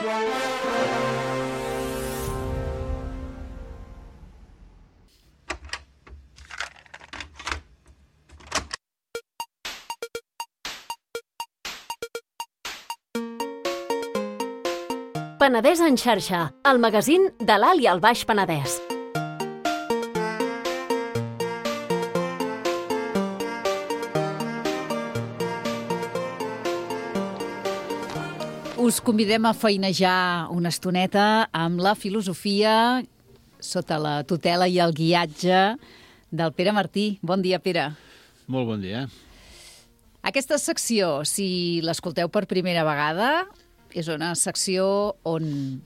Penedès en xarxa, el magazín de l'Alt i el Baix Penedès. Us convidem a feinejar una estoneta amb la filosofia sota la tutela i el guiatge del Pere Martí. Bon dia, Pere. Molt bon dia. Aquesta secció, si l'escolteu per primera vegada, és una secció on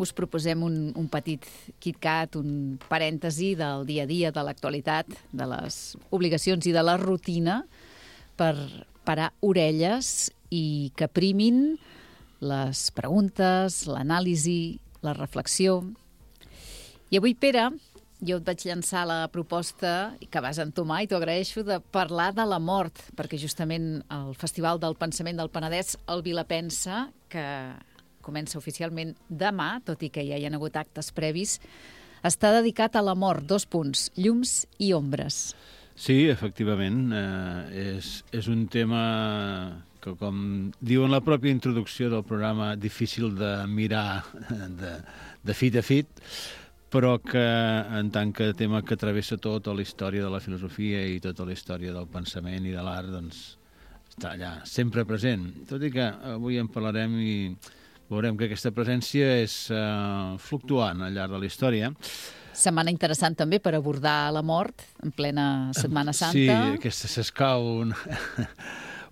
us proposem un petit KitKat, un parèntesi del dia a dia, de l'actualitat, de les obligacions i de la rutina per parar orelles i que primin les preguntes, l'anàlisi, la reflexió. I avui, Pere, jo et vaig llançar la proposta que vas entomar, i t'ho agraeixo, de parlar de la mort, perquè justament el Festival del Pensament del Penedès, el Vilapensa, que comença oficialment demà, tot i que ja hi ha hagut actes previs, està dedicat a la mort, 2 punts, llums i ombres. Sí, efectivament, és un tema que, com diu en la pròpia introducció del programa, difícil de mirar de fit a fit, però que en tant que tema que travessa tota la història de la filosofia i tota la història del pensament i de l'art, doncs està allà, sempre present. Tot i que avui en parlarem i veurem que aquesta presència és fluctuant al llarg de la història. Setmana interessant també per abordar la mort en plena Setmana Santa. Sí, aquesta s'escau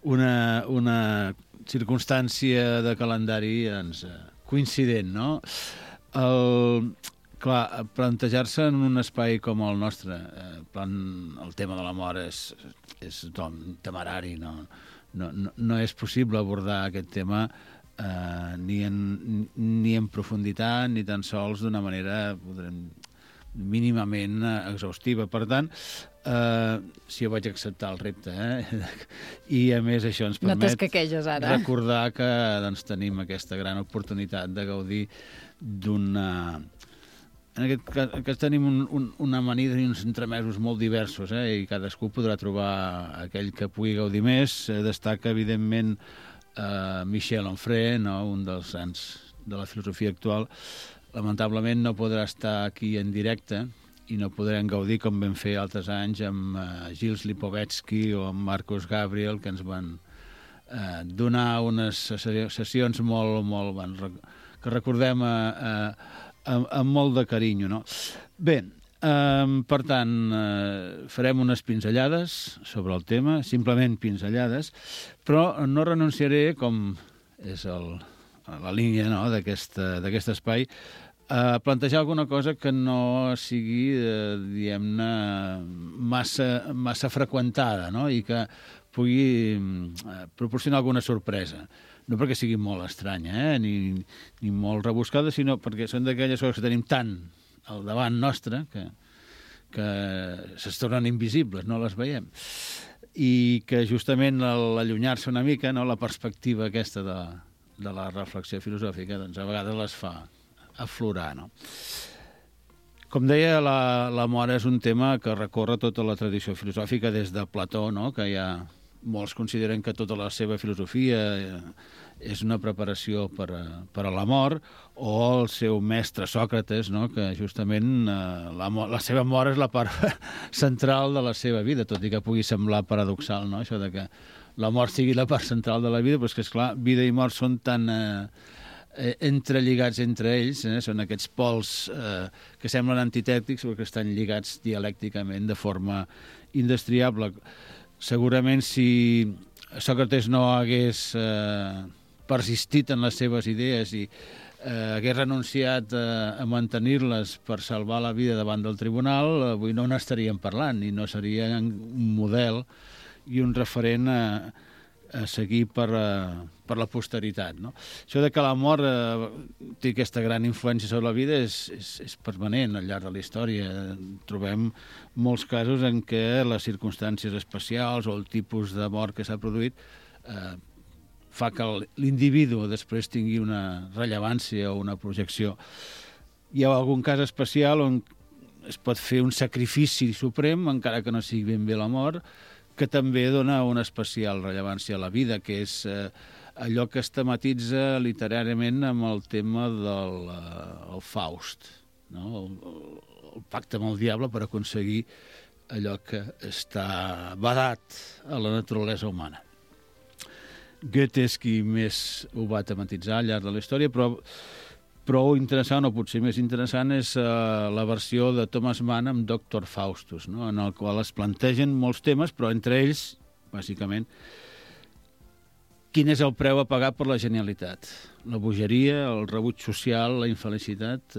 una circumstància de calendari coincident, no? Clar, plantejar-se en un espai com el nostre, el tema de la mort és temerari, no és possible abordar aquest tema ni en profunditat, ni tan sols d'una manera mínimament exhaustiva. Per tant, si jo vaig acceptar el repte, i a més això ens permet recordar que tenim aquesta gran oportunitat de gaudir d'una... En aquest cas tenim una amanida i uns entremesos molt diversos, i cadascú podrà trobar aquell que pugui gaudir més. Destaca, evidentment, Michel Onfray, un dels sants de la filosofia actual. Lamentablement no podrà estar aquí en directe i no podrem gaudir com vam fer altres anys amb Gilles Lipovetsky o amb Marcos Gabriel, que ens van donar unes sessions que recordem amb molt de carinyo, no? Bé, per tant, farem unes pinzellades sobre el tema, simplement pinzellades, però no renunciaré, com és la línia d'aquest espai, a plantejar alguna cosa que no sigui, diguem-ne, massa freqüentada, no? I que pugui proporcionar alguna sorpresa. No perquè sigui molt estranya, ni molt rebuscada, sinó perquè són d'aquelles coses que tenim tant al davant nostre que se'ns tornen invisibles, no les veiem. I que justament l'allunyar-se una mica, la perspectiva aquesta de la reflexió filosòfica, doncs a vegades les fa aflorar, no? Com deia, la mort és un tema que recorre tota la tradició filosòfica des de Plató, que ja molts consideren que tota la seva filosofia és una preparació per a la mort, o el seu mestre Sòcrates, que justament la seva mort és la part central de la seva vida, tot i que pugui semblar paradoxal, això de que la mort sigui la part central de la vida, però és que, esclar, vida i mort són tan entrelligats entre ells, són aquests pols que semblen antitètics però que estan lligats dialècticament de forma indestriable. Segurament si Sòcrates no hagués persistit en les seves idees i hagués renunciat a mantenir-les per salvar la vida davant del tribunal, avui no n'estaríem parlant i no seria un model i un referent a seguir per la posteritat, no? Això de que la mort té aquesta gran influència sobre la vida és permanent al llarg de la història. Trobem molts casos en què les circumstàncies especials o el tipus de mort que s'ha produït fa que l'individu després tingui una rellevància o una projecció. Hi ha algun cas especial on es pot fer un sacrifici suprem, encara que no sigui ben bé la mort, que també dona una especial rellevància a la vida, que és allò que es tematitza literàriament amb el tema del Faust, no? El pacte amb el diable per aconseguir allò que està vedat a la naturalesa humana. Goethe és qui més ho va tematitzar al llarg de la història, però prou interessant, o potser més interessant, és la versió de Thomas Mann amb Dr. Faustus, no? En el qual es plantegen molts temes, però entre ells, bàsicament, quin és el preu a pagar per la genialitat? La bogeria, el rebuig social, la infelicitat.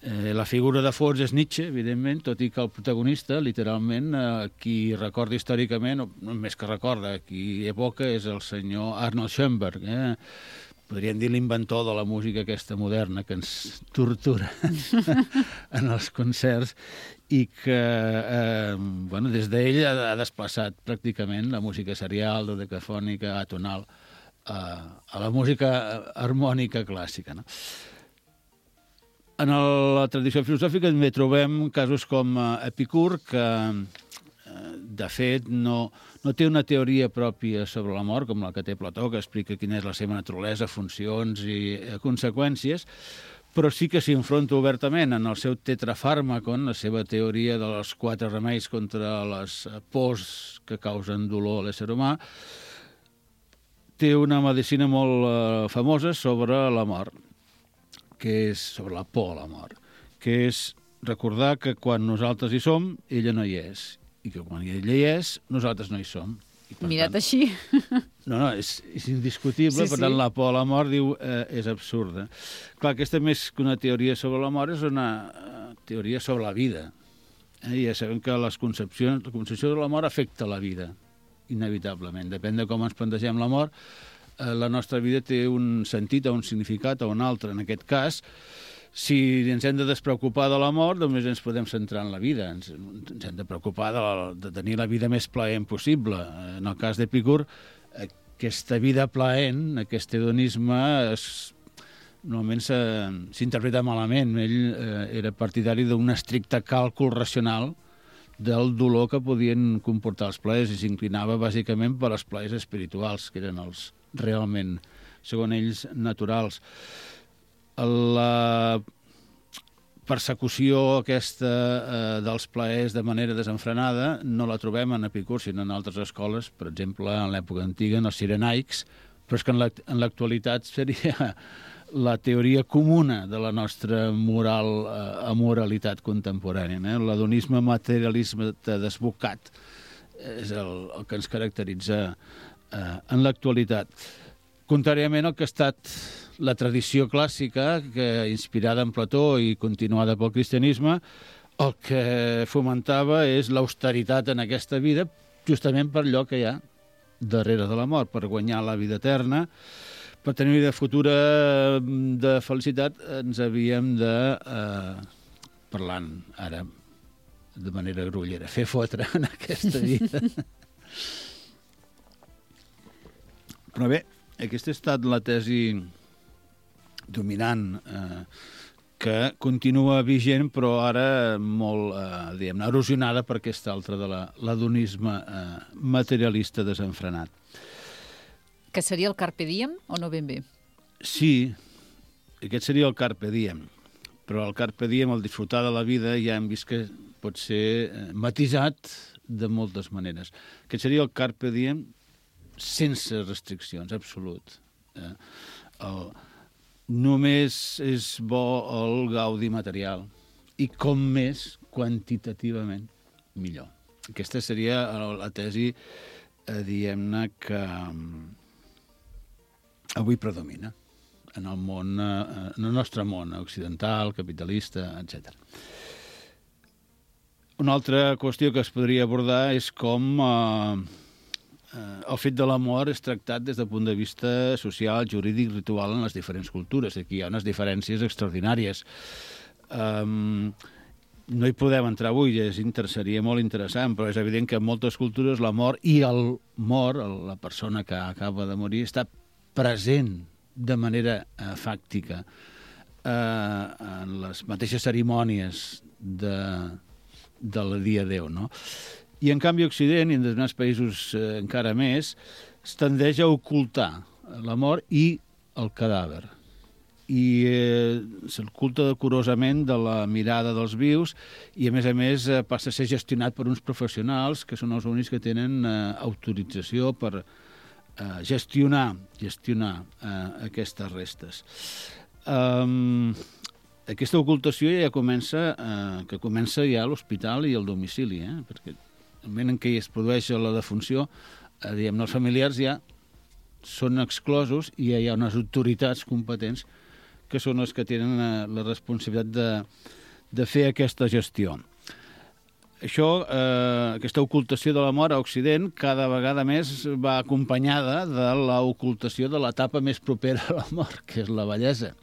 La figura de fons és Nietzsche, evidentment, tot i que el protagonista, literalment, qui recorda històricament, o no més que recorda, qui evoca, és el senyor Arnold Schoenberg, podríem dir l'inventor de la música aquesta moderna que ens tortura en els concerts i que des d'ell ha desplaçat pràcticament la música serial, dodecafònica, atonal, a la música harmònica clàssica, no? En la tradició filosòfica també trobem casos com Epicur, que de fet no té una teoria pròpia sobre la mort, com la que té Plató, que explica quina és la seva naturalesa, funcions i conseqüències, però sí que s'enfronta obertament en el seu tetrafàrmacon, la seva teoria dels 4 remeis contra les pors que causen dolor a l'ésser humà. Té una medicina molt famosa sobre la mort, que és sobre la por a la mort, que és recordar que quan nosaltres hi som, ella no hi és, i que quan ella hi és, nosaltres no hi som. Mirat així. No, és indiscutible, per tant, la por a la mort, diu, és absurda. Clar, aquesta més que una teoria sobre la mort és una teoria sobre la vida. I ja sabem que la concepció de la mort afecta la vida, inevitablement. Depèn de com ens plantegem la mort, la nostra vida té un sentit o un significat o un altre. En aquest cas, si ens hem de despreocupar de la mort, només ens podem centrar en la vida. Ens hem de preocupar de tenir la vida més plaent possible. En el cas d'Epicur, aquesta vida plaent, aquest hedonisme, normalment s'interpreta malament. Ell era partidari d'un estricte càlcul racional del dolor que podien comportar els plaers i s'inclinava bàsicament per als plaers espirituals, que eren els realment, segons ells, naturals. La persecució aquesta dels plaers de manera desenfrenada no la trobem en Epicur, sinó en altres escoles, per exemple, en l'època antiga, en els cirenaics, però és que en l'actualitat seria la teoria comuna de la nostra amoralitat contemporània. L'hedonisme materialisme desbocat és el que ens caracteritza en l'actualitat. Contràriament al que ha estat la tradició clàssica, que inspirada en Plató i continuada pel cristianisme, el que fomentava és l'austeritat en aquesta vida, justament per allò que hi ha darrere de la mort, per guanyar la vida eterna. Per tenir una vida futura de felicitat ens havíem de, parlant ara de manera grollera, fer fotre en aquesta vida. Però bé, aquesta ha estat la tesi dominant que continua vigent, però ara molt, diguem-ne, erosionada per aquesta altra de l'hedonisme materialista desenfrenat. Que seria el carpe diem o no ben bé? Sí, aquest seria el carpe diem, però el carpe diem, el disfrutar de la vida, ja hem vist que pot ser matisat de moltes maneres. Aquest seria el carpe diem sense restriccions, absolut. Només és bo el gaudi material i com més quantitativament millor. Aquesta seria la tesi, diguem-ne, que avui predomina en el món, en el nostre món occidental, capitalista, etc. Una altra qüestió que es podria abordar és com el fet de la mort és tractat des del punt de vista social, jurídic, ritual en les diferents cultures. Aquí hi ha unes diferències extraordinàries. no hi podem entrar avui, seria molt interessant, però és evident que en moltes cultures la mort i el mort, la persona que acaba de morir, està present de manera fàctica en les mateixes cerimònies del dia Déu, no? I en canvi a Occident, i en determinats països encara més, es tendeix a ocultar la mort i el cadàver. I s'oculta decorosament de la mirada dels vius i, a més, passa a ser gestionat per uns professionals que són els únics que tenen autorització per gestionar aquestes restes. Aquesta ocultació ja comença ja a l'hospital i al domicili, perquè el moment en què es produeix la defunció, els familiars ja són exclosos i ja hi ha unes autoritats competents que són les que tenen la responsabilitat de fer aquesta gestió. Això, aquesta ocultació de la mort a Occident cada vegada més va acompanyada de l'ocultació de l'etapa més propera a la mort, que és la vellesa.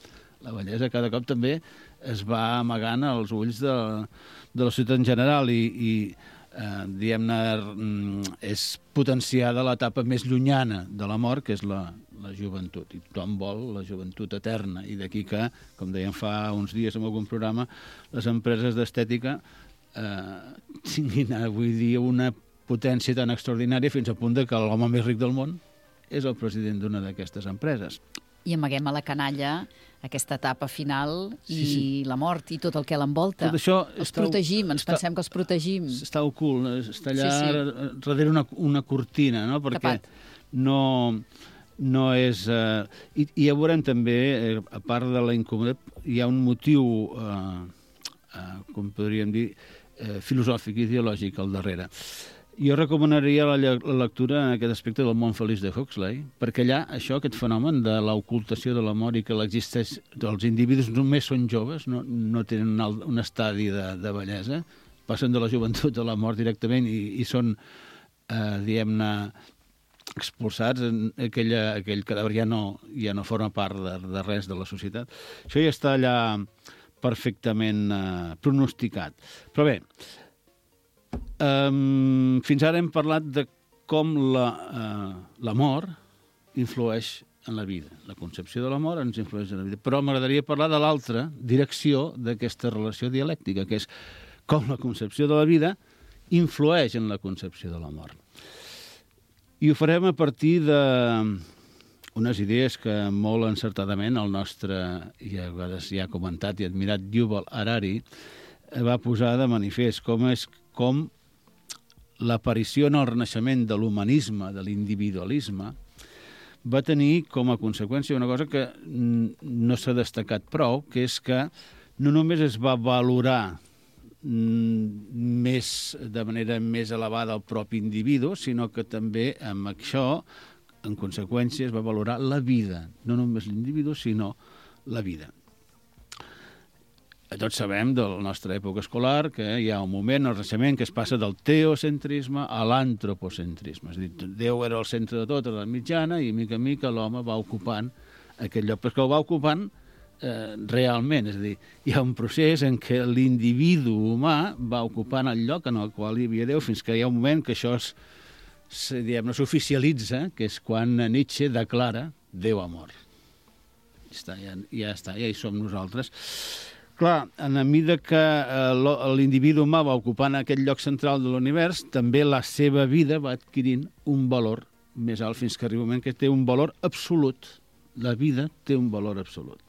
La vellesa cada cop també es va amagant als ulls de la societat en general i diguem-ne, és potenciada l'etapa més llunyana de la mort, que és la joventut. I tothom vol la joventut eterna. I d'aquí que, com dèiem fa uns dies en algun programa, les empreses d'estètica tinguin avui dia una potència tan extraordinària fins al punt que l'home més ric del món és el president d'una d'aquestes empreses. I amaguem a la canalla aquesta etapa final i la mort i tot el que l'envolta. Els protegim, ens pensem que els protegim. Està ocult, està allà darrere una cortina, no? Perquè no és... I ja veurem també, a part de la incomoditat, hi ha un motiu, com podríem dir, filosòfic, ideològic al darrere. Jo recomanaria la lectura en aquest aspecte del Món feliç de Huxley, perquè allà aquest fenomen de l'ocultació de la mort i que l'existeix, els individus només són joves, no tenen un estadi de bellesa, passen de la joventut a la mort directament i són, diguem-ne, expulsats, aquell cadàver ja no forma part de res de la societat. Això ja està allà perfectament pronosticat. Però bé, fins ara hem parlat de com la mort influeix en la vida. La concepció de la mort ens influeix en la vida. Però m'agradaria parlar de l'altra direcció d'aquesta relació dialèctica, que és com la concepció de la vida influeix en la concepció de la mort. I ho farem a partir d'unes idees que molt encertadament el nostre, i a vegades ja comentat i admirat, Yuval Harari va posar de manifest, com l'aparició en el renaixement de l'humanisme, de l'individualisme, va tenir com a conseqüència una cosa que no s'ha destacat prou, que és que no només es va valorar de manera més elevada el propi individu, sinó que també amb això, en conseqüència, es va valorar la vida, no només l'individu, sinó la vida. Tots sabem de la nostra època escolar que hi ha un moment, el renaixement, que es passa del teocentrisme a l'antropocentrisme. És a dir, Déu era el centre de tot a la mitjana i, mica en mica, l'home va ocupant aquest lloc. Però que el va ocupant realment. És a dir, hi ha un procés en què l'individu humà va ocupant el lloc en el qual hi havia Déu fins que hi ha un moment que això s'oficialitza, que és quan Nietzsche declara Déu ha mort. Ja hi som nosaltres. Clar, en la mida que l'individu humà va ocupant aquest lloc central de l'univers, també la seva vida va adquirint un valor més alt fins que arriba un moment que té un valor absolut. La vida té un valor absolut.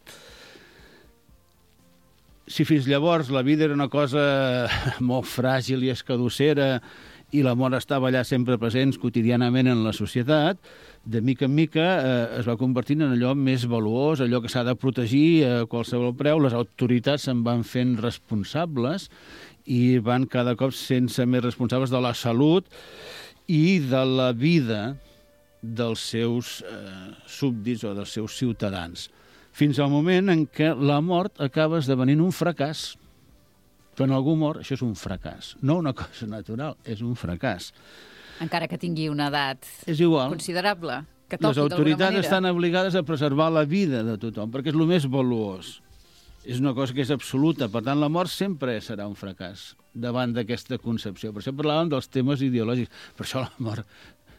Si fins llavors la vida era una cosa molt fràgil i escadussera i la mort estava allà sempre present quotidianament en la societat, de mica en mica es va convertint en allò més valuós, allò que s'ha de protegir a qualsevol preu. Les autoritats se'n van fent responsables i van cada cop sense més responsables de la salut i de la vida dels seus súbdits o dels seus ciutadans. Fins al moment en què la mort acaba esdevenint un fracàs. Quan algú mor, això és un fracàs. No una cosa natural, és un fracàs. Encara que tingui una edat considerable, que toqui d'alguna manera. Les autoritats estan obligades a preservar la vida de tothom, perquè és el més valuós. és una cosa que és absoluta. Per tant, la mort sempre serà un fracàs davant d'aquesta concepció. Per això parlàvem dels temes ideològics. Per això la mort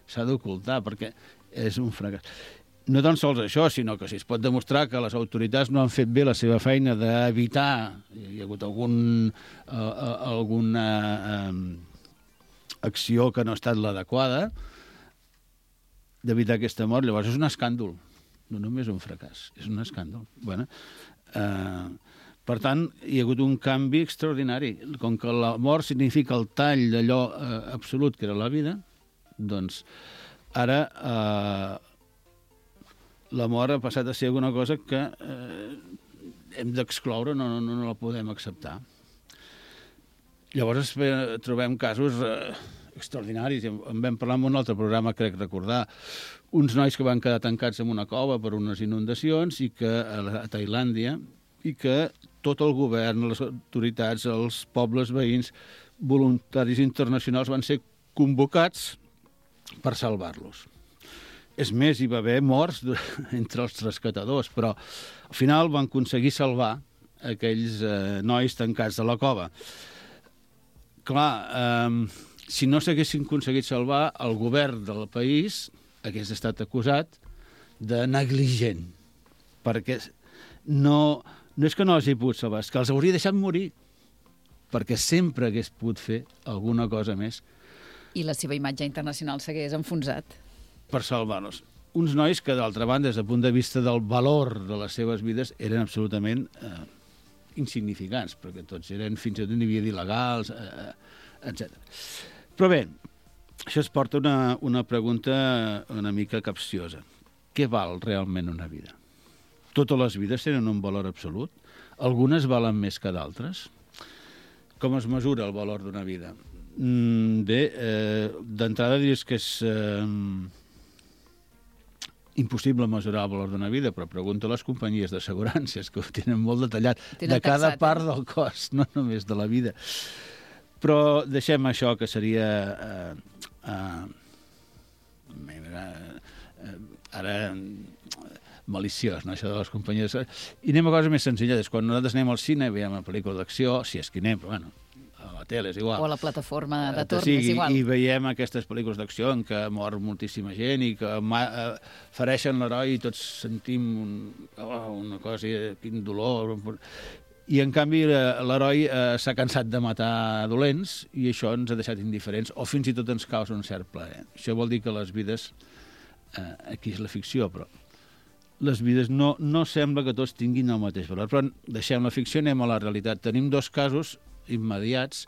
s'ha d'ocultar, perquè és un fracàs. No tan sols això, sinó que si es pot demostrar que les autoritats no han fet bé la seva feina d'evitar, hi ha hagut alguna acció que no ha estat l'adequada, d'evitar aquesta mort, llavors és un escàndol. No només un fracàs, és un escàndol. Bueno, per tant, hi ha hagut un canvi extraordinari. Com que la mort significa el tall d'allò absolut que era la vida, doncs ara la mort ha passat a ser alguna cosa que hem d'excloure, no la podem acceptar. Llavors trobem casos extraordinaris. En vam parlar en un altre programa, crec recordar, uns nois que van quedar tancats en una cova per unes inundacions i que a Tailàndia, i que tot el govern, les autoritats, els pobles veïns, voluntaris internacionals van ser convocats per salvar-los. És més, hi va haver morts entre els rescatadors, però al final van aconseguir salvar aquells nois tancats a la cova. Clar, si no s'haguessin aconseguit salvar, el govern del país hagués estat acusat de negligent, perquè no és que no els hi pogut salvar, és que els hauria deixat morir, perquè sempre hagués pogut fer alguna cosa més. I la seva imatge internacional s'hagués enfonsat. Per salvar-los. Uns nois que, d'altra banda, des del punt de vista del valor de les seves vides, eren absolutament insignificants, perquè tots eren, fins i tot n'hi havia d'il·legals, etc. Però bé, això es porta una pregunta una mica capciosa. Què val realment una vida? Totes les vides tenen un valor absolut? Algunes valen més que d'altres? Com es mesura el valor d'una vida? Bé, d'entrada dius que és impossible mesurar el valor d'una vida, però pregunto a les companyies d'assegurances, que ho tenen molt detallat, de cada part del cos, no només de la vida. Però deixem això, que seria ara maliciós, no? Això de les companyies. I anem a coses més senzilles. Quan nosaltres anem al cine, veiem una pel·lícula d'acció, si és que anem, però bueno, a la tele és igual. O a la plataforma de torn, és igual. I veiem aquestes pel·lícules d'acció en què mor moltíssima gent i que fereixen l'heroi i tots sentim una cosa, quin dolor. I, en canvi, l'heroi s'ha cansat de matar dolents i això ens ha deixat indiferents o fins i tot ens causa un cert plaer. Això vol dir que les vides, aquí és la ficció, però les vides no sembla que tots tinguin el mateix valor. Però deixem la ficció, anem a la realitat. Tenim dos casos immediats,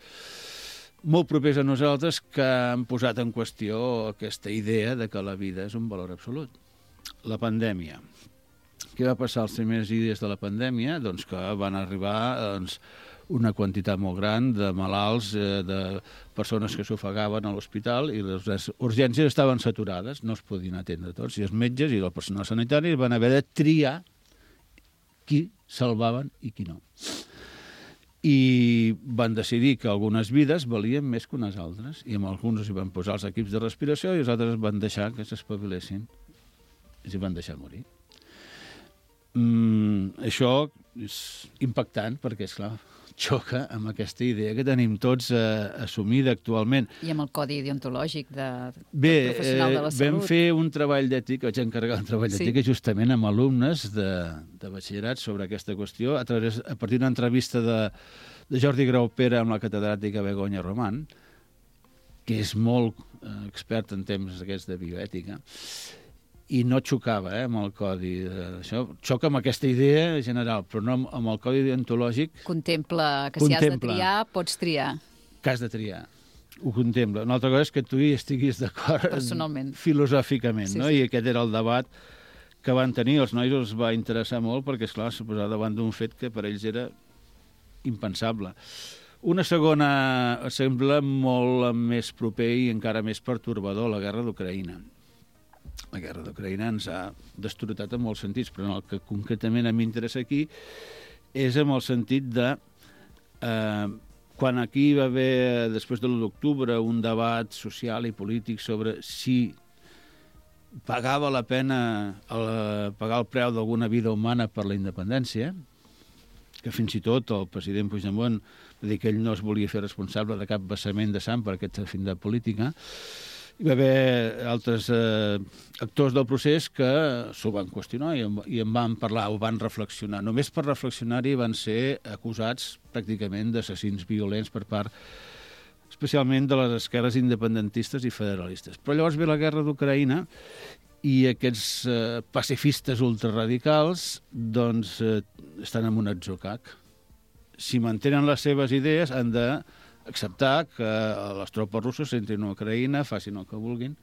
molt propers a nosaltres, que han posat en qüestió aquesta idea de que la vida és un valor absolut. La pandèmia. Què va passar els primers dies de la pandèmia? Doncs que van arribar una quantitat molt gran de malalts, de persones que s'ofegaven a l'hospital i les urgències estaven saturades, no es podien atendre tots, i els metges i el personal sanitari van haver de triar qui salvaven i qui no. I van decidir que algunes vides valien més que unes altres, i amb alguns hi van posar els equips de respiració i els altres van deixar que s'espavilessin i s'hi van deixar morir. Això és impactant perquè, esclar, xoca amb aquesta idea que tenim tots assumida actualment. I amb el codi deontològic professional de la salut. Vam fer un treball d'ètica, vaig encarregar un treball d'ètica justament amb alumnes de batxillerat sobre aquesta qüestió, a partir d'una entrevista de Jordi Graupera amb la catedràtica Begoña Román, que és molt expert en temes aquests de bioètica, i no xocava amb el codi d'això. Xoca amb aquesta idea general, però no amb el codi deontològic. Contempla que si has de triar, pots triar. Que has de triar. Ho contempla. Una altra cosa és que tu hi estiguis d'acord personalment, filosòficament, sí, no? Sí. I aquest era el debat que van tenir. Els nois els va interessar molt perquè, esclar, es posava davant d'un fet que per ells era impensable. Una segona sembla molt més proper i encara més pertorbador, la guerra d'Ucraïna. La guerra d'Ucraïna ens ha destrotat en molts sentits, però en el que concretament a mi m'interessa aquí és en el sentit de quan aquí va haver, després de l'1 d'octubre, un debat social i polític sobre si pagava la pena pagar el preu d'alguna vida humana per la independència, que fins i tot el president Puigdemont va dir que ell no es volia fer responsable de cap vessament de sang per aquesta finalitat política. Hi va haver altres actors del procés que s'ho van qüestionar i en van parlar, ho van reflexionar. Només per reflexionar-hi van ser acusats pràcticament d'assassins violents per part especialment de les esquerres independentistes i federalistes. Però llavors ve la guerra d'Ucraïna i aquests pacifistes ultraradicals doncs estan en un atzucac. Si mantenen les seves idees han d'acceptar que les tropes russes entrin a Ucraïna, facin el que vulguin,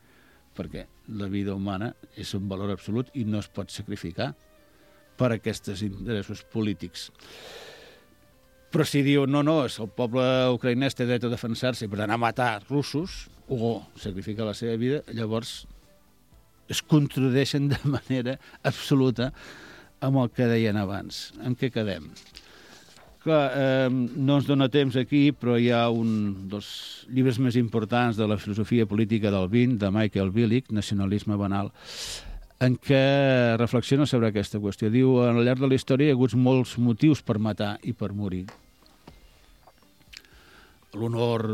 perquè la vida humana és un valor absolut i no es pot sacrificar per aquests interessos polítics. Però si diu, no, el poble ucraïnès té dret a defensar-se i per anar a matar russos o sacrificar la seva vida, llavors es contradeixen de manera absoluta amb el que deien abans. En què quedem? Clar, no ens dona temps aquí, però hi ha un dels llibres més importants de la filosofia política del XX, de Michael Billig, Nacionalisme banal, en què reflexiona sobre aquesta qüestió. Diu, al llarg de la història hi ha hagut molts motius per matar i per morir. L'honor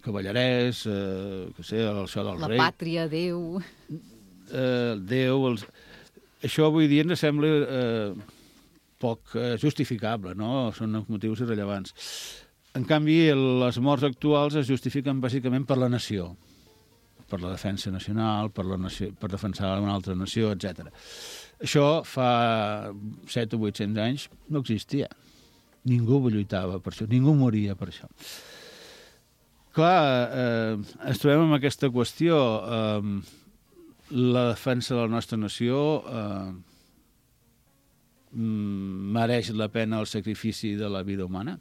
cavallerès, això del rei. La pàtria, Déu... Déu... Això avui dia ens sembla poc justificable, no? Són motius irrellevants. En canvi, les morts actuals es justifiquen bàsicament per la nació, per la defensa nacional, per defensar una altra nació, etc. Això fa 7 o 800 anys no existia. Ningú lluitava per això, ningú moria per això. Clar, ens trobem amb aquesta qüestió. La defensa de la nostra nació mereix la pena el sacrifici de la vida humana?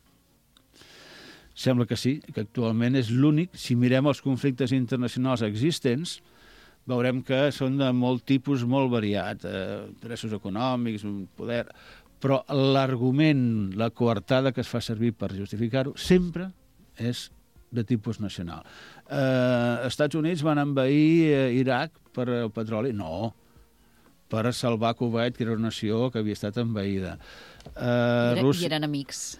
Sembla que sí, que actualment és l'únic. Si mirem els conflictes internacionals existents, veurem que són de molt tipus, molt variat, interessos econòmics, poder... Però l'argument, la coartada que es fa servir per justificar-ho, sempre és de tipus nacional. Estats Units van envair Iraq per el petroli? No, per salvar Kuwait, que era una nació que havia estat envaïda. I eren amics.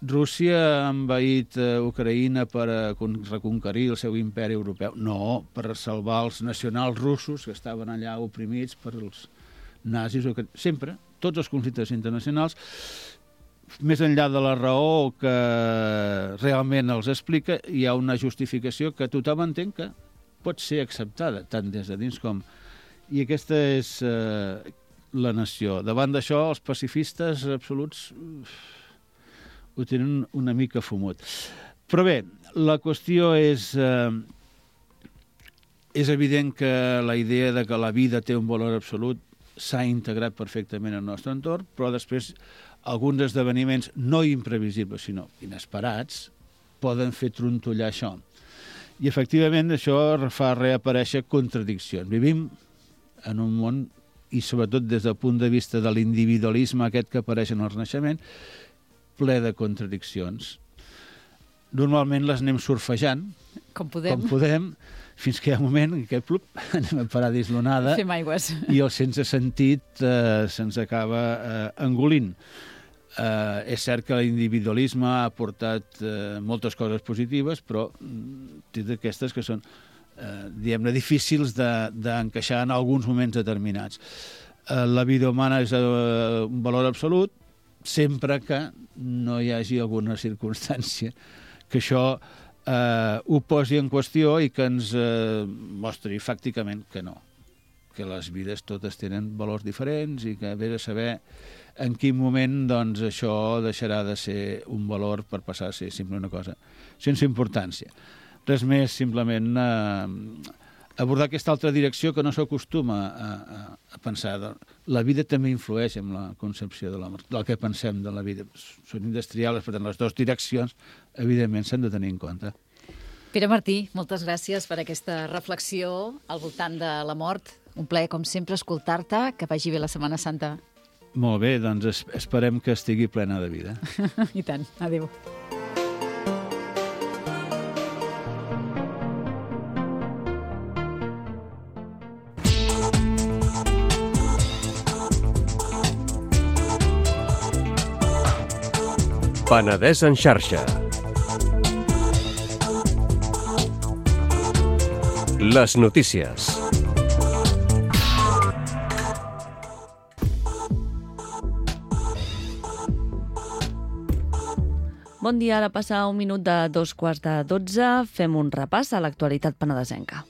Rússia ha envaït Ucraïna per reconquerir el seu imperi europeu? No, per salvar els nacionals russos que estaven allà oprimits per els nazis. Sempre, tots els conflictes internacionals, més enllà de la raó que realment els explica, hi ha una justificació que tothom entén que pot ser acceptada, tant des de dins com... I aquesta és la nació. Davant d'això, els pacifistes absoluts ho tenen una mica fumut. Però bé, la qüestió és evident que la idea de que la vida té un valor absolut s'ha integrat perfectament en el nostre entorn, però després alguns esdeveniments no imprevisibles, sinó inesperats, poden fer trontollar això. I efectivament això fa reaparèixer contradiccions. Vivim en un món, i sobretot des del punt de vista de l'individualisme aquest que apareix en el Renaixement, ple de contradiccions. Normalment les anem surfejant, com podem, fins que hi ha un moment en què anem a paradís l'onada. Fem aigües. I el sense sentit se'ns acaba engolint. És cert que l'individualisme ha portat moltes coses positives, però té d'aquestes que són diguem-ne, difícils d'encaixar en alguns moments determinats. La vida humana és un valor absolut, sempre que no hi hagi alguna circumstància que això ho posi en qüestió i que ens mostri fàcticament que no, que les vides totes tenen valors diferents i que ve de saber en quin moment doncs, això deixarà de ser un valor per passar a ser simple una cosa sense importància. Res més, simplement abordar aquesta altra direcció que no s'acostuma a pensar. La vida també influeix en la concepció del que pensem de la vida. Són indestriables, per tant, les dues direccions, evidentment, s'han de tenir en compte. Pere Martí, moltes gràcies per aquesta reflexió al voltant de la mort. Un plaer, com sempre, escoltar-te. Que vagi bé la Setmana Santa. Molt bé, doncs esperem que estigui plena de vida. I tant. Adéu. Penedès en xarxa. Les notícies. Bon dia, ara passa un minut de 2:15. Fem un repàs a l'actualitat penedesenca.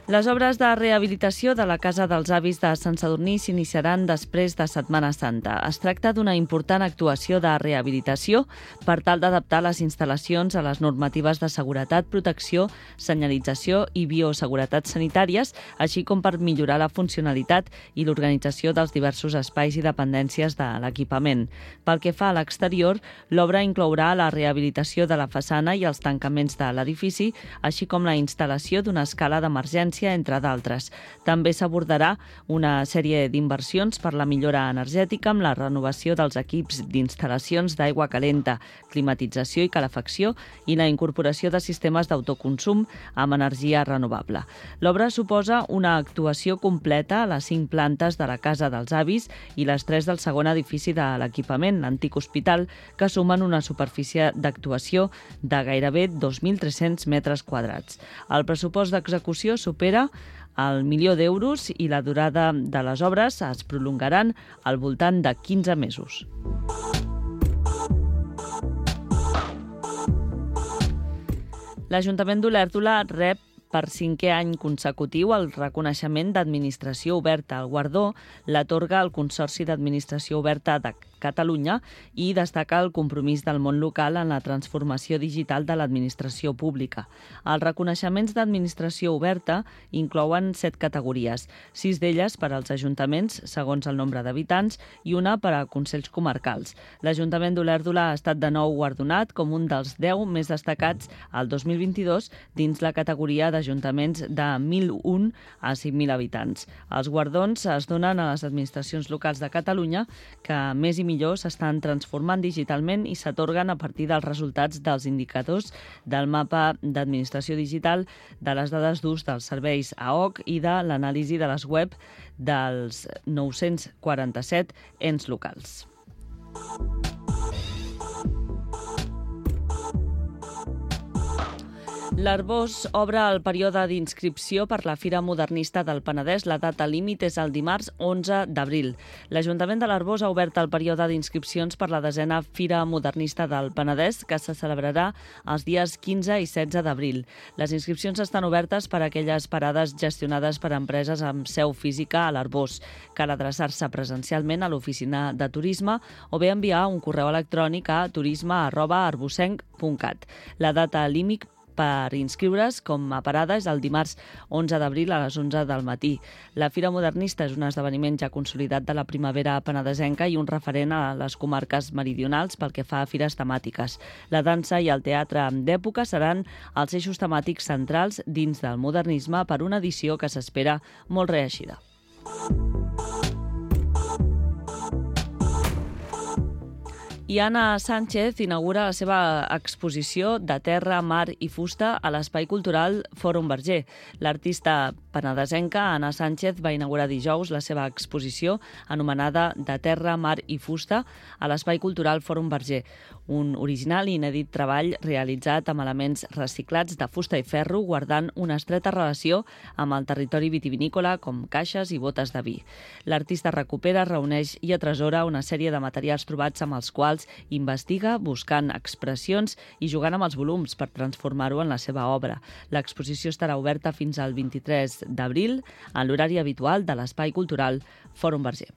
Les obres de rehabilitació de la Casa dels Avis de Sant Sadurní s'iniciaran després de Setmana Santa. Es tracta d'una important actuació de rehabilitació per tal d'adaptar les instal·lacions a les normatives de seguretat, protecció, senyalització i bioseguretat sanitàries, així com per millorar la funcionalitat i l'organització dels diversos espais i dependències de l'equipament. Pel que fa a l'exterior, l'obra inclourà la rehabilitació de la façana i els tancaments de l'edifici, així com la instal·lació d'una escala d'emergència, entre d'altres. També s'abordarà una sèrie d'inversions per la millora energètica amb la renovació dels equips d'instal·lacions d'aigua calenta, climatització i calefacció i la incorporació de sistemes d'autoconsum amb energia renovable. L'obra suposa una actuació completa a les 5 plantes de la Casa dels Avis i les 3 del segon edifici de l'equipament, l'antic hospital, que sumen una superfície d'actuació de gairebé 2.300 metres quadrats. El pressupost d'execució supera el €1.000.000 i la durada de les obres es prolongaran al voltant de 15 mesos. L'Ajuntament d'Olèrdola rep per 5è any consecutiu el reconeixement d'administració oberta. El guardó l'atorga el Consorci d'Administració Oberta de Catalunya i destaca el compromís del món local en la transformació digital de l'administració pública. Els reconeixements d'administració oberta inclouen 7 categories, 6 d'elles per als ajuntaments, segons el nombre d'habitants, i una per a consells comarcals. L'Ajuntament d'Olèrdola ha estat de nou guardonat com un dels 10 més destacats al 2022 dins la categoria d'ajuntaments de 1.001 a 5.000 habitants. Els guardons es donen a les administracions locals de Catalunya que més i millor s'estan transformant digitalment i s'atorguen a partir dels resultats dels indicadors del mapa d'administració digital, de les dades d'ús dels serveis AOC i de l'anàlisi de les web dels 947 ens locals. L'Arboç obre el període d'inscripció per la Fira Modernista del Penedès. La data límit és el dimarts 11 d'abril. L'Ajuntament de l'Arboç ha obert el període d'inscripcions per la 10a Fira Modernista del Penedès, que se celebrarà els dies 15 i 16 d'abril. Les inscripcions estan obertes per a aquelles parades gestionades per empreses amb seu física a l'Arboç. Cal adreçar-se presencialment a l'oficina de turisme o bé enviar un correu electrònic a turisme@arbocenc.cat. La data límit per inscriure's com a parada és el dimarts 11 d'abril a les 11 del matí. La Fira Modernista és un esdeveniment ja consolidat de la primavera penedesenca i un referent a les comarques meridionals pel que fa a fires temàtiques. La dansa i el teatre d'època seran els eixos temàtics centrals dins del modernisme per una edició que s'espera molt reeixida. I Anna Sánchez inaugura la seva exposició de terra, mar i fusta a l'Espai Cultural Fòrum Verger. L'artista penedesenca Anna Sánchez va inaugurar dijous la seva exposició anomenada De terra, mar i fusta a l'Espai Cultural Fòrum Verger, un original i inèdit treball realitzat amb elements reciclats de fusta i ferro, guardant una estreta relació amb el territori vitivinícola com caixes i botes de vi. L'artista recupera, reuneix i atresora una sèrie de materials trobats amb els quals investiga, buscant expressions i jugant amb els volums per transformar-ho en la seva obra. L'exposició estarà oberta fins al 23 d'abril en l'horari habitual de l'Espai Cultural Fòrum Verger.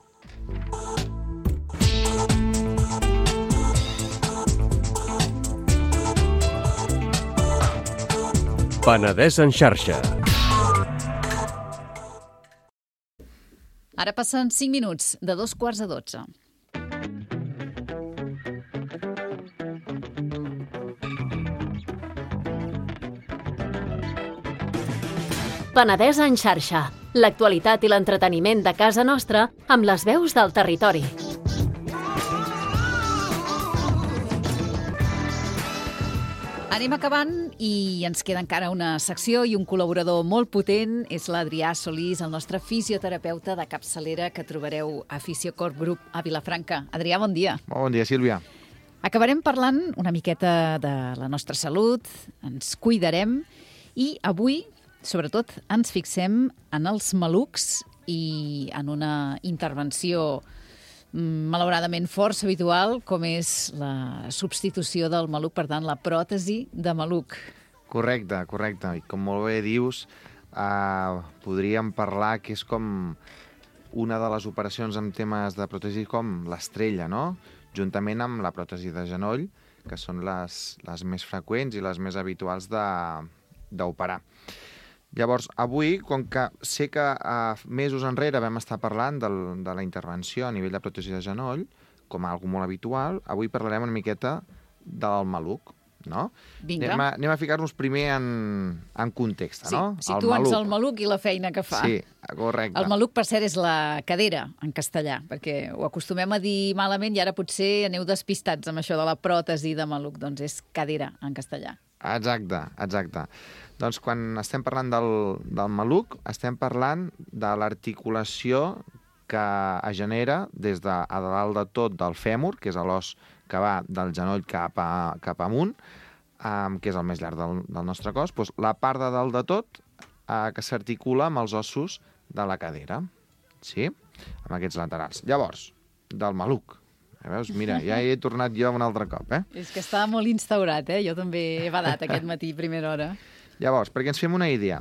Penedès en xarxa. Ara passen 5 minuts de 2:15. Penedès en xarxa. L'actualitat i l'entreteniment de casa nostra amb les veus del territori. Anem acabant i ens queda encara una secció i un col·laborador molt potent és l'Adrià Solís, el nostre fisioterapeuta de capçalera que trobareu a Fisiocorp Group a Vilafranca. Adrià, bon dia. Bon dia, Sílvia. Acabarem parlant una miqueta de la nostra salut, ens cuidarem i avui, sobretot, ens fixem en els malucs i en una intervenció malauradament força habitual, com és la substitució del maluc, per tant, la pròtesi de maluc. Correcte. I com molt bé dius, podríem parlar que és com una de les operacions en temes de pròtesi com l'estrella, no? Juntament amb la pròtesi de genoll, que són les més freqüents i les més habituals d'operar. Llavors, avui, com que sé que mesos enrere vam estar parlant de la intervenció a nivell de pròtesi de genoll, com a algo molt habitual, avui parlarem una miqueta del maluc, no? Vinga. Anem a ficar-nos primer en context, no? Situa'ns el maluc i la feina que fa. Sí, correcte. El maluc, per cert, és la cadera, en castellà, perquè ho acostumem a dir malament i ara potser aneu despistats amb això de la pròtesi de maluc. Doncs és cadera, en castellà. Exacte. Doncs quan estem parlant del maluc, estem parlant de l'articulació que es genera des de a dalt de tot del fèmur, que és l'os que va del genoll cap amunt, que és el més llarg del nostre cos, doncs la part de dalt de tot que s'articula amb els ossos de la cadera, sí? Amb aquests laterals. Llavors, del maluc. Veus? Mira, ja he tornat jo un altre cop, És que estava molt instaurat, Jo també he badat aquest matí, primera hora. Llavors, perquè ens fem una idea,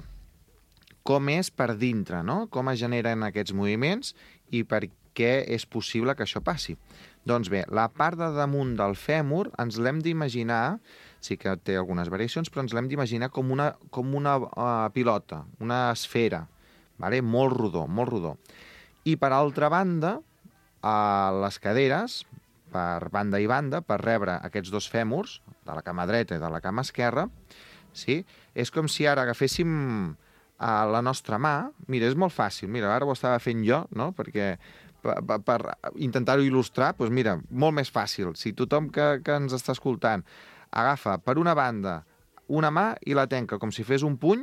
com és per dintre, no? Com es generen aquests moviments i per què és possible que això passi. Doncs bé, la part de damunt del fèmur ens l'hem d'imaginar, sí que té algunes variacions, però ens l'hem d'imaginar com una pilota, una esfera, vale? Molt rodó. I per altra banda, les caderes, per banda i banda, per rebre aquests dos fèmurs, de la cama dreta i de la cama esquerra, sí? És com si ara agaféssim la nostra mà. Mira, és molt fàcil. Mira, ara ho estava fent jo, no? Perquè per intentar-ho il·lustrar, doncs mira, molt més fàcil. Si tothom que ens està escoltant agafa per una banda una mà i la tanca com si fes un puny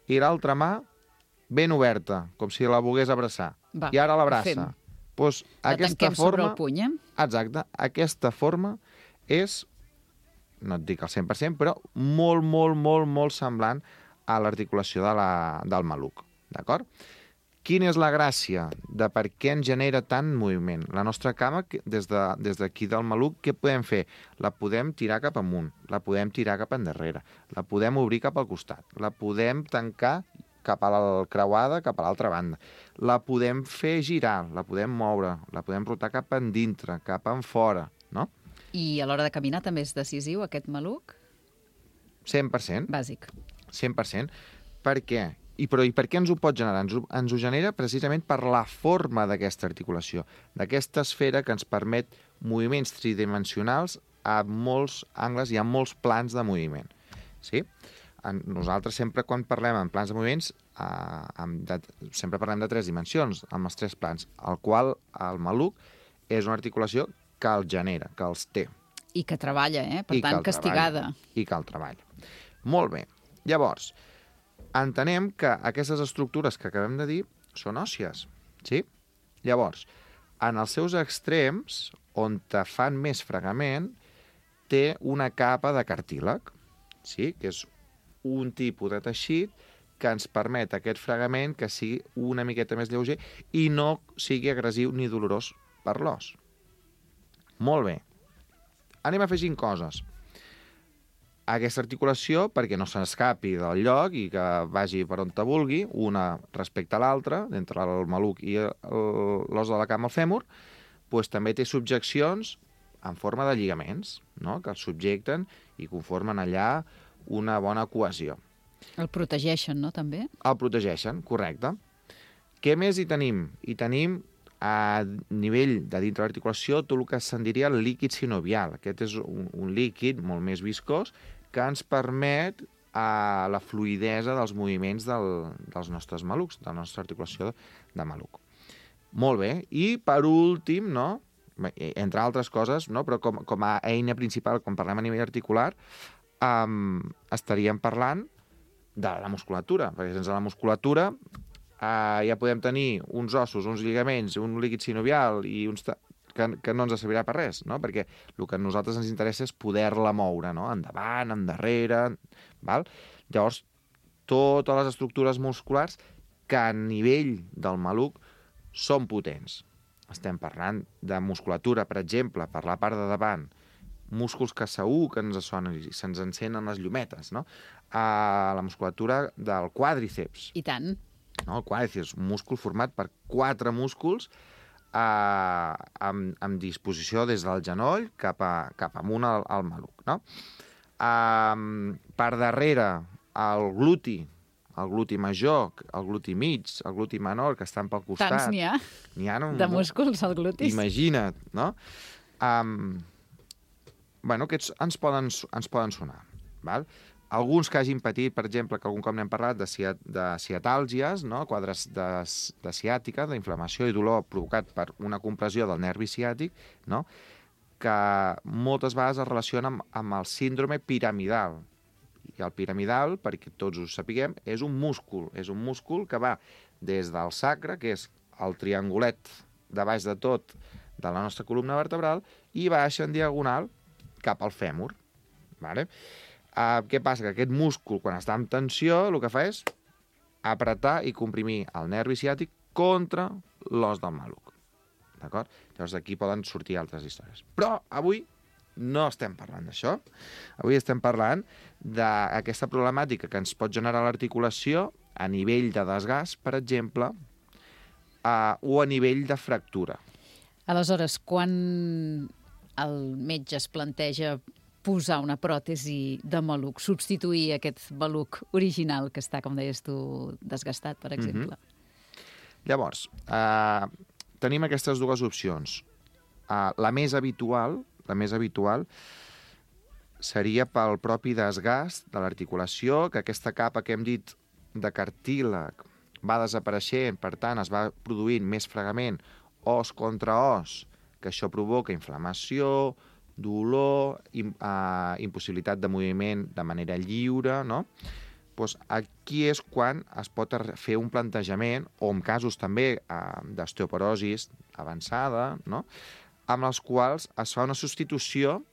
i l'altra mà ben oberta, com si la volgués abraçar. Va, i ara l'abraça. Doncs la tanquem sobre el puny, Exacte. Aquesta forma és, no et dic al 100%, però molt semblant a l'articulació del maluc. D'acord? Quina és la gràcia de per què ens genera tant moviment? La nostra cama, des d'aquí del maluc, què podem fer? La podem tirar cap amunt, la podem tirar cap endarrere, la podem obrir cap al costat, la podem tancar cap a la creuada, cap a l'altra banda. La podem fer girar, la podem moure, la podem rotar cap endintre, cap en fora, no? I a l'hora de caminar també és decisiu, aquest maluc? 100%. Bàsic. 100%. Per què? I per què ens ho pot generar? Ens ho genera precisament per la forma d'aquesta articulació, d'aquesta esfera que ens permet moviments tridimensionals a molts angles i a molts plans de moviment. Sí? Nosaltres sempre quan parlem en plans de moviments sempre parlem de 3 dimensions, amb els 3 plans, el qual el maluc és una articulació que el genera, que els té. I que treballa, Per tant, castigada. I que el treballa. Molt bé. Llavors, entenem que aquestes estructures que acabem de dir són òssies, sí? Llavors, en els seus extrems, on te fan més fregament, té una capa de cartílag, sí? Que és un tipus de teixit que ens permet aquest fregament que sigui una miqueta més lleuger i no sigui agressiu ni dolorós per l'os. Molt bé. Anem afegint coses. Aquesta articulació, perquè no s'escapi del lloc i que vagi per on te vulgui, una respecte a l'altra, entre el maluc i l'os de la cama, el fèmur, doncs també té subjeccions en forma de lligaments, no? Que els subjecten i conformen allà una bona cohesió. El protegeixen, no, també? El protegeixen, correcte. Què més hi tenim? Hi tenim a nivell de dintre l'articulació tot el que se'n diria el líquid sinovial. Aquest és un líquid molt més viscós que ens permet la fluïdesa dels moviments dels nostres malucs, de la nostra articulació de maluc. Molt bé. I per últim, no? Entre altres coses, no? Però com a eina principal, quan parlem a nivell articular, estaríem parlant de la musculatura, perquè sense la musculatura ja podem tenir uns ossos, uns lligaments, un líquid sinovial i que no ens servirà per res, no? Perquè el que a nosaltres ens interessa és poder-la moure, no? Endavant, endarrere, val? Llavors, totes les estructures musculars que a nivell del maluc són potents. Estem parlant de musculatura, per exemple, per la part de davant, músculs que segur que ens sonen i se'ns encenen les llumetes, no? La musculatura del quàdriceps. I tant. No? El quàdriceps, un múscul format per 4 músculs amb disposició des del genoll cap amunt al maluc. No? Per darrere, el gluti major, el gluti mig, el gluti menor, que estan pel costat. Tants n'hi ha? N'hi ha de músculs, al glutis. Imagina't, no? Aquests ens poden sonar. Val? Alguns que hagin patit, per exemple, que algun cop n'hem parlat, de ciatàlgies, no? Quadres de ciàtica, d'inflamació i dolor provocat per una compressió del nervi ciàtic, no? Que moltes vegades es relacionen amb el síndrome piramidal. I el piramidal, perquè tots ho sapiguem, és un múscul que va des del sacre, que és el triangulet de baix de tot de la nostra columna vertebral, i baixa en diagonal cap al fèmur. Vale? Què passa? Que aquest múscul, quan està en tensió, el que fa és apretar i comprimir el nervi ciàtic contra l'os del maluc. D'acord? Llavors d'aquí poden sortir altres històries. Però avui no estem parlant d'això. Avui estem parlant d'aquesta problemàtica que ens pot generar l'articulació a nivell de desgast, per exemple, o a nivell de fractura. Aleshores, quan el metge es planteja posar una pròtesi de maluc, substituir aquest maluc original que està, com deies tu, desgastat, per exemple? Llavors, tenim aquestes dues opcions. La més habitual seria pel propi desgast de l'articulació, que aquesta capa que hem dit de cartílag va desapareixent, per tant es va produint més fregament os contra os, que això provoca inflamació, dolor, impossibilitat de moviment de manera lliure, no? Doncs aquí és quan es pot fer un plantejament, o en casos també d'osteoporosis avançada, no? Amb els quals es fa una substitució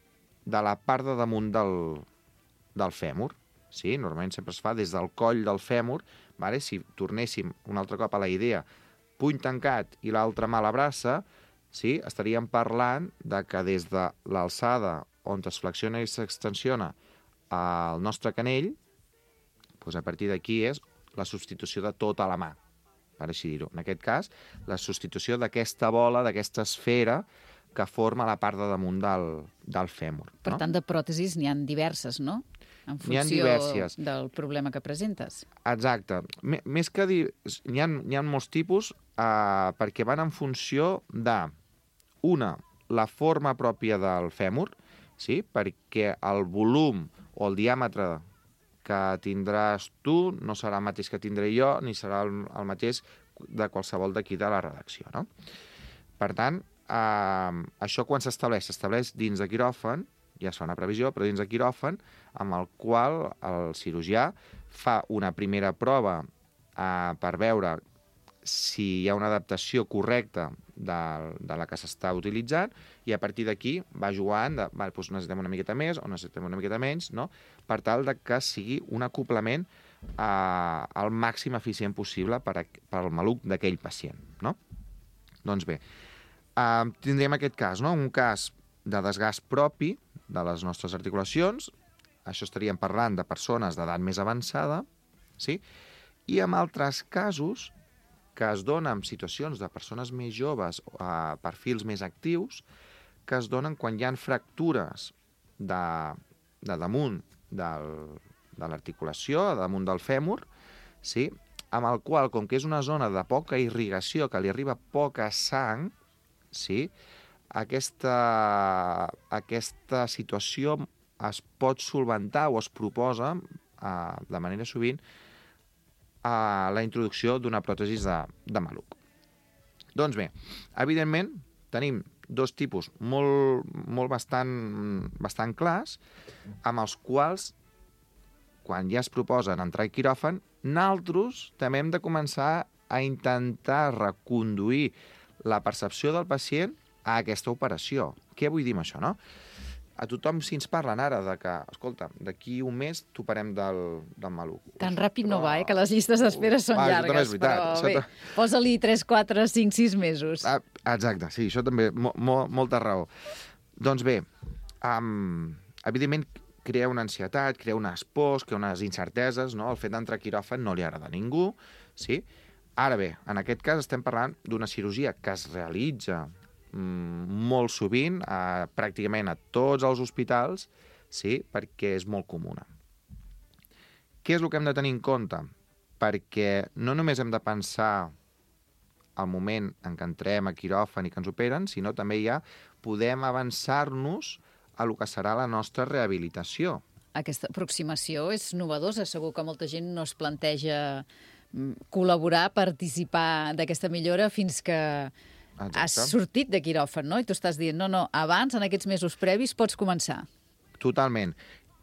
de la part de damunt del fèmur. Sí? Normalment sempre es fa des del coll del fèmur. Vale? Si tornéssim un altre cop a la idea, puny tancat i l'altra mà a la braça, sí? Estaríem parlant de que des de l'alçada on es flexiona i s'extensiona el nostre canell, doncs a partir d'aquí és la substitució de tota la mà, per així dir-ho. En aquest cas, la substitució d'aquesta bola, d'aquesta esfera que forma la part de damunt del fèmur. Per tant, de pròtesis n'hi ha diverses, no? En funció del problema que presentes. Exacte. Més que dir... N'hi ha molts tipus perquè van en funció de, una, la forma pròpia del fèmur, sí? Perquè el volum o el diàmetre que tindràs tu no serà el mateix que tindré jo, ni serà el mateix de qualsevol d'aquí de la redacció, no? Per tant, això quan s'estableix dins de quiròfan, ja es fa una previsió, però dins de quiròfan, amb el qual el cirurgià fa una primera prova per veure si hi ha una adaptació correcta de la que s'està utilitzant, i a partir d'aquí va jugant, doncs necessitem una miqueta més o necessitem una miqueta menys, no? Per tal de que sigui un acoplament al màxim eficient possible per al maluc d'aquell pacient, no? Doncs bé, tindrem aquest cas, no? Un cas de desgast propi de les nostres articulacions, això estaríem parlant de persones d'edat més avançada, sí? I en altres casos que es donen en situacions de persones més joves, perfils més actius, que es donen quan hi ha fractures de damunt de l'articulació, damunt del fèmur, sí? Amb el qual, com que és una zona de poca irrigació, que li arriba poca sang, sí? Aquesta situació es pot solventar o es proposa de manera sovint la introducció d'una pròtesi de maluc. Doncs bé, evidentment, tenim dos tipus molt bastant clars, amb els quals, quan ja es proposen entrar al quiròfan, nosaltres també hem de començar a intentar reconduir la percepció del pacient a aquesta operació. Què vull dir amb això, no? A tothom si ens parlen ara de que, escolta, d'aquí un mes t'operem del maluc. Tan ràpid no va, que les llistes d'espera són llargues, però bé, posa-li 3, 4, 5, 6 mesos. Exacte, sí, això també, molta raó. Doncs bé, evidentment crea una ansietat, crea unes pors, crea unes incerteses, no? El fet d'entrar a quiròfan no li agrada a ningú, sí? Ara bé, en aquest cas estem parlant d'una cirurgia que es realitza molt sovint, pràcticament a tots els hospitals, sí? Perquè és molt comuna. Què és el que hem de tenir en compte? Perquè no només hem de pensar al moment en què entrem a quiròfan i que ens operen, sinó també ja podem avançar-nos a lo que serà la nostra rehabilitació. Aquesta aproximació és novedosa. Segur que molta gent no es planteja col·laborar, participar d'aquesta millora fins que has sortit de quiròfan, no? I tu estàs dient, no, abans, en aquests mesos previs, pots començar. Totalment.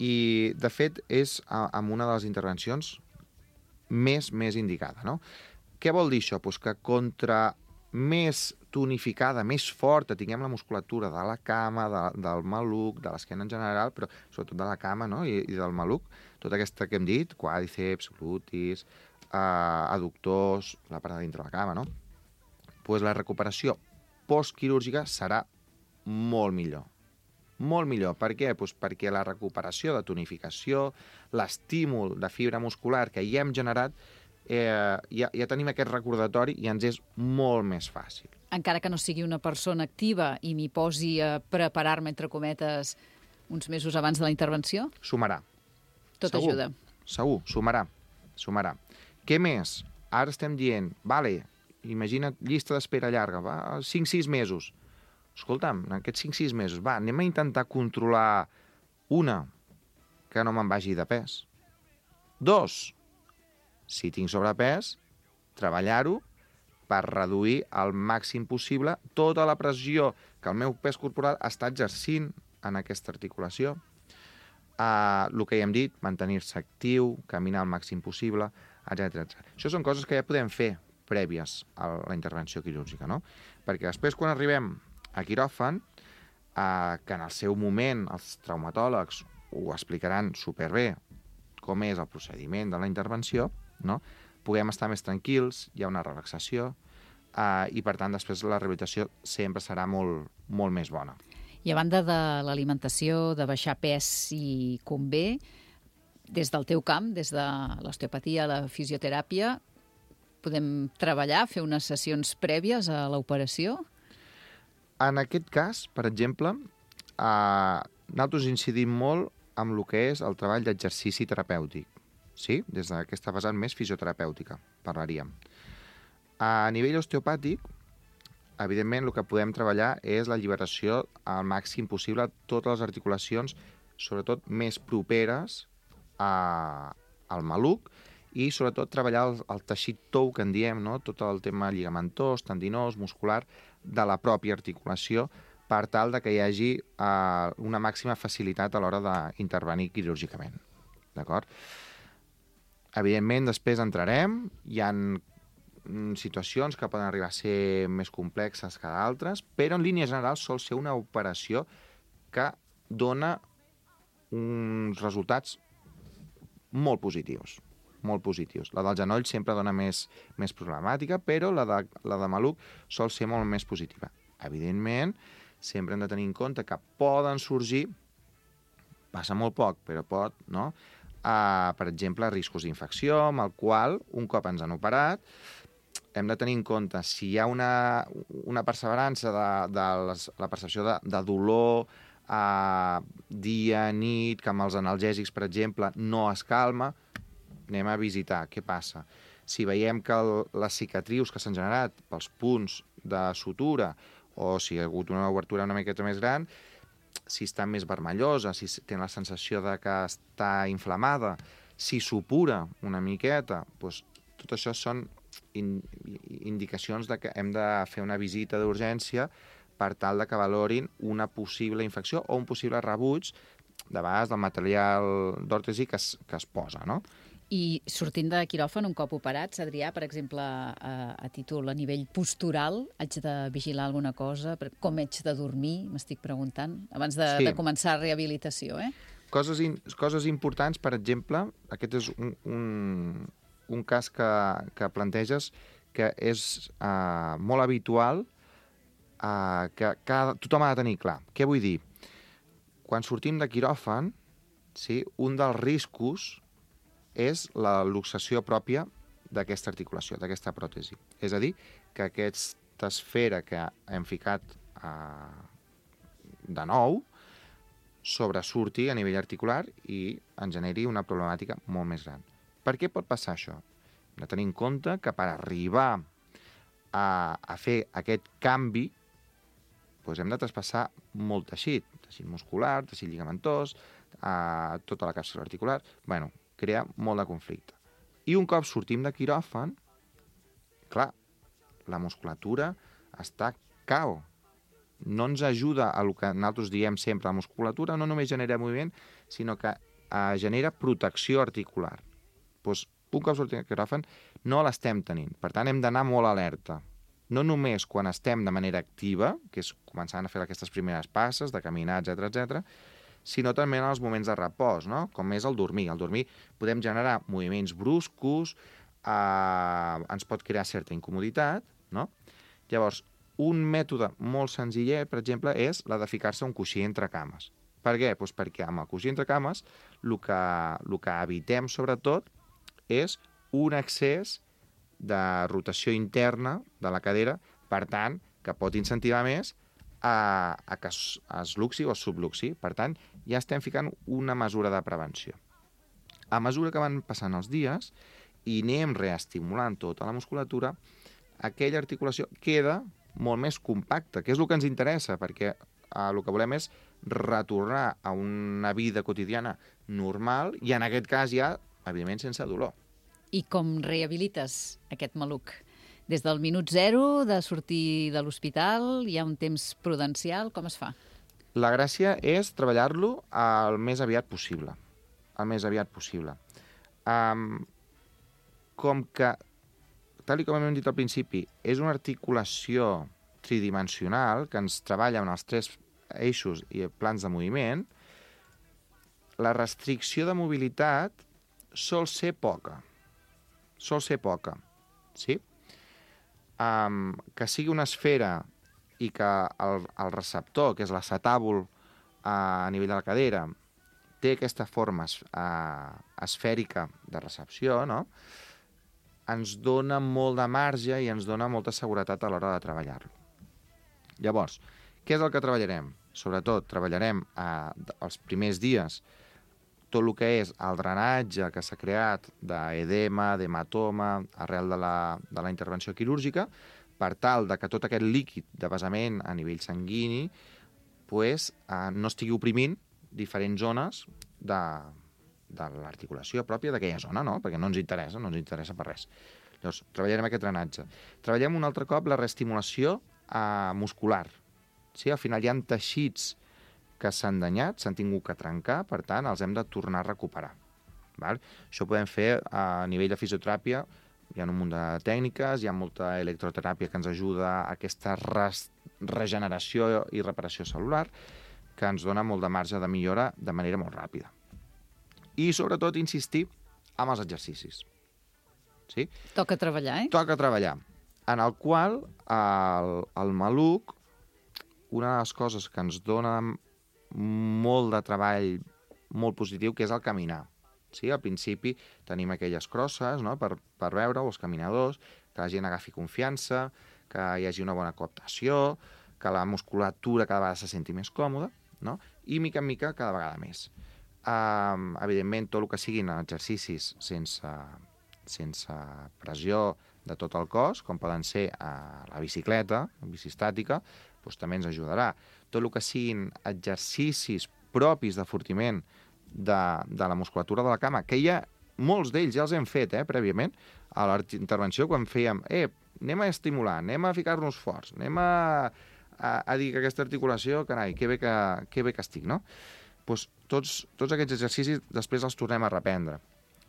I, de fet, és amb una de les intervencions més indicada, no? Què vol dir això? Pues que contra més tonificada, més forta tinguem la musculatura de la cama, del maluc, de l'esquena en general, però sobretot de la cama, no? I del maluc, tota aquesta que hem dit, quàdriceps, glutis, adductors, la part de dintre de la cama, no? Pues la recuperació postquirúrgica serà molt millor. Molt millor. Per què? Pues perquè la recuperació de tonificació, l'estímul de fibra muscular que ja hem generat, ja tenim aquest recordatori i ens és molt més fàcil. Encara que no sigui una persona activa i m'hi posi a preparar-me, entre cometes, uns mesos abans de la intervenció? Sumarà. Tot ajuda. Segur, sumarà. Què més? Ara estem dient, vale, imagina't llista d'espera llarga, va, 5-6 mesos. Escolta'm, en aquests 5-6 mesos, va, anem a intentar controlar una, que no me'n vagi de pes. 2, si tinc sobrepès, treballar-ho per reduir al màxim possible tota la pressió que el meu pes corporal està exercint en aquesta articulació. El que ja hem dit, mantenir-se actiu, caminar al màxim possible, etc. Això són coses que ja podem fer prèvies a la intervenció quirúrgica, no? Perquè després, quan arribem a quiròfan, que en el seu moment els traumatòlegs ho explicaran superbé com és el procediment de la intervenció, no? Puguem estar més tranquils, hi ha una relaxació, i per tant després la rehabilitació sempre serà molt més bona. I a banda de l'alimentació, de baixar pes si convé, des del teu camp, des de l'osteopatia, la fisioteràpia, podem treballar, fer unes sessions prèvies a l'operació? En aquest cas, per exemple, nosaltres incidim molt amb el que és el treball d'exercici terapèutic. Sí? Des d'aquesta vessant més fisioterapèutica, parlaríem. A nivell osteopàtic, evidentment, el que podem treballar és l'alliberació al màxim possible de totes les articulacions, sobretot més properes al maluc, i sobretot treballar el teixit tou, que en diem, no? Tot el tema lligamentós, tendinós, muscular, de la pròpia articulació, per tal de que hi hagi una màxima facilitat a l'hora d'intervenir quirúrgicament. D'acord? Evidentment, després entrarem, hi ha situacions que poden arribar a ser més complexes que d'altres, però en línia general sol ser una operació que dona uns resultats molt positius. La del genoll sempre dona més problemàtica, però la de maluc sol ser molt més positiva. Evidentment, sempre hem de tenir en compte que poden sorgir, passa molt poc, però pot, no? Per exemple, riscos d'infecció, amb el qual, un cop ens han operat, hem de tenir en compte si hi ha una perseverança de la percepció de dolor dia, nit, que amb els analgèsics, per exemple, no es calma, anem a visitar què passa. Si veiem que les cicatrius que s'han generat pels punts de sutura o si hi ha hagut una obertura una miqueta més gran, si està més vermellosa, si té la sensació de que està inflamada, si supura una miqueta, doncs tot això són indicacions de que hem de fer una visita d'urgència per tal que valorin una possible infecció o un possible rebuig de vegades del material d'òrtesi que es posa, no? I sortint de quiròfan, un cop operats, Adrià, per exemple, a títol a nivell postural, haig de vigilar alguna cosa? Com haig de dormir, m'estic preguntant, abans de començar la rehabilitació, Coses importants, per exemple, aquest és un cas que planteges que és molt habitual, que tothom ha de tenir clar. Què vull dir? Quan sortim de quiròfan, un dels riscos és la luxació pròpia d'aquesta articulació, d'aquesta pròtesi. És a dir, que aquesta esfera que hem ficat de nou sobresurti a nivell articular i ens generi una problemàtica molt més gran. Per què pot passar això? Hem de tenir en compte que per arribar a fer aquest canvi hem de traspassar molt teixit muscular, teixit lligamentós, tota la càpsula articular, crea molt de conflicte. I un cop sortim de quiròfan, clar, la musculatura està cao. No ens ajuda a el que nosaltres diem sempre, la musculatura no només genera moviment, sinó que genera protecció articular. Doncs un cop sortim de quiròfan no l'estem tenint. Per tant, hem d'anar molt alerta. No només quan estem de manera activa, que és començant a fer aquestes primeres passes, de caminar, etc, sinó també en els moments de repòs, no? Com és el dormir. Al dormir podem generar moviments bruscos, ens pot crear certa incomoditat, no? Llavors, un mètode molt senzillet, per exemple, és la de ficar-se un coixí entre cames. Per què? Doncs perquè amb el coixí entre cames el que evitem, sobretot, és un excés de rotació interna de la cadera, per tant, que pot incentivar més a que es luxi o es subluxi. Per tant, ja estem ficant una mesura de prevenció. A mesura que van passant els dies i anem reestimulant tota la musculatura, aquella articulació queda molt més compacta, que és el que ens interessa, perquè el que volem és retornar a una vida quotidiana normal i, en aquest cas, ja, evidentment, sense dolor. I com rehabilites aquest maluc? Des del minut zero de sortir de l'hospital, hi ha un temps prudencial, com es fa? La gràcia és treballar-lo el més aviat possible. El més aviat possible. Com que, tal com hem dit al principi, és una articulació tridimensional que ens treballa en els 3 eixos i plans de moviment, la restricció de mobilitat sol ser poca. Sí? Que sigui una esfera i que el receptor, que és l'acetàbul a nivell de la cadera, té aquesta forma esfèrica de recepció, no? Ens dona molt de marge i ens dona molta seguretat a l'hora de treballar-lo. Llavors, què és el que treballarem? Sobretot, treballarem els primers dies tot el que és el drenatge que s'ha creat d'edema, d'hematoma, arrel de la intervenció quirúrgica, per tal de que tot aquest líquid de vessament a nivell sanguini no estigui oprimint diferents zones de l'articulació pròpia d'aquella zona, no? Perquè no ens interessa per res. Llavors, treballarem aquest drenatge. Treballem un altre cop la reestimulació muscular. Sí? Al final hi ha teixits que s'han danyat, s'han tingut que trencar, per tant, els hem de tornar a recuperar. Val? Això ho podem fer a nivell de fisioteràpia, hi ha un munt de tècniques, hi ha molta electroteràpia que ens ajuda a aquesta regeneració i reparació cel·lular, que ens dona molt de marge de millora de manera molt ràpida. I, sobretot, insistir amb els exercicis. Sí? Toca treballar, Toca treballar. En el qual el maluc, una de les coses que ens dona molt de treball molt positiu, que és el caminar. Sí? Al principi tenim aquelles crosses, no? per veure els caminadors, que la gent agafi confiança, que hi hagi una bona cooptació, que la musculatura cada vegada se senti més còmoda, no? I mica en mica cada vegada més. Evidentment, tot el que siguin exercicis sense pressió de tot el cos, com poden ser la bicicleta, la bici estàtica, doncs també ens ajudarà. Tot el que siguin exercicis propis d'afortiment de la musculatura de la cama, que molts d'ells ja els hem fet prèviament a la intervenció, quan fèiem anem a estimular, anem a ficar-nos forts, anem a a dir que aquesta articulació, carai, que bé que estic, no? Doncs tots aquests exercicis després els tornem a reprendre.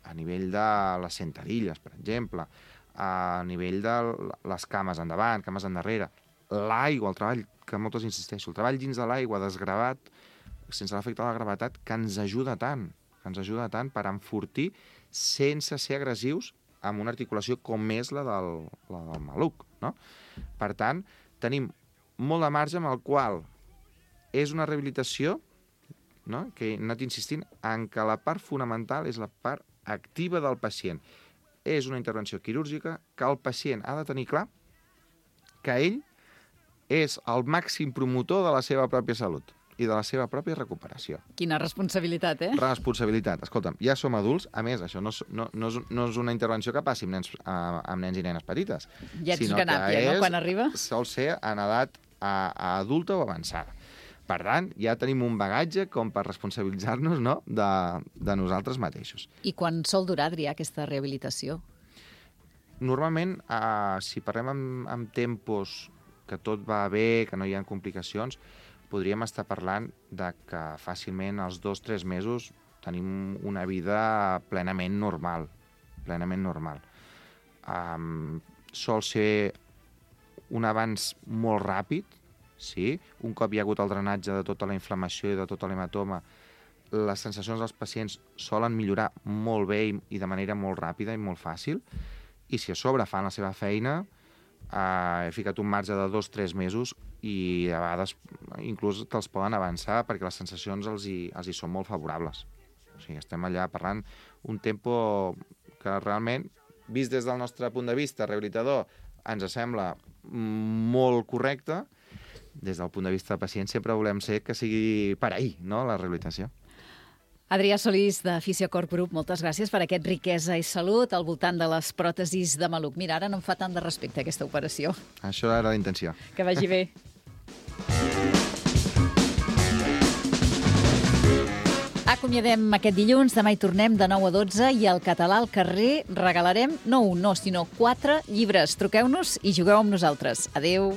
A nivell de les sentadilles, per exemple, a nivell de les cames endavant, cames endarrere, l'aigua, el treball, que moltes insisteixo, el treball dins de l'aigua, desgravat, sense l'efecte de la gravetat, que ens ajuda tant per enfortir sense ser agressius amb una articulació com és la del maluc, no? Per tant, tenim molt de marge amb el qual és una rehabilitació, no? Que he anat insistint en que la part fonamental és la part activa del pacient. És una intervenció quirúrgica que el pacient ha de tenir clar que ell és el màxim promotor de la seva pròpia salut i de la seva pròpia recuperació. Quina responsabilitat, Responsabilitat. Escolta'm, ja som adults. A més, això no és una intervenció que passi amb nens i nenes petites. Ja ets ganàpia, no?, quan arriba? Sol ser en edat adulta o avançada. Per tant, ja tenim un bagatge com per responsabilitzar-nos, no?, de nosaltres mateixos. I quan sol durar, Adrià, aquesta rehabilitació? Normalment, si parlem amb tempos que tot va bé, que no hi ha complicacions, podríem estar parlant de que fàcilment als 2-3 mesos tenim una vida plenament normal. Sol ser un avanç molt ràpid, sí? Un cop hi ha hagut el drenatge de tota la inflamació i de tota l'hematoma, les sensacions dels pacients solen millorar molt bé i de manera molt ràpida i molt fàcil, i si a sobre fan la seva feina, he ficat un marge de 2-3 mesos i a vegades inclús te'ls poden avançar perquè les sensacions els hi són molt favorables. O sigui, estem allà parlant un tempo que realment, vist des del nostre punt de vista rehabilitador, ens sembla molt correcte. Des del punt de vista del pacient sempre volem ser que sigui per ahir, no?, la rehabilitació. Adrià Solís, de Fisiocorp Group, moltes gràcies per aquest Riquesa i Salut al voltant de les pròtesis de maluc. Mira, ara no em fa tant de respecte aquesta operació. Això era la intenció. Que vagi bé. Acomiadem aquest dilluns, demà hi tornem de 9 a 12 i al Català al carrer regalarem no un, no, sinó 4 llibres. Truqueu-nos i jugueu amb nosaltres. Adéu.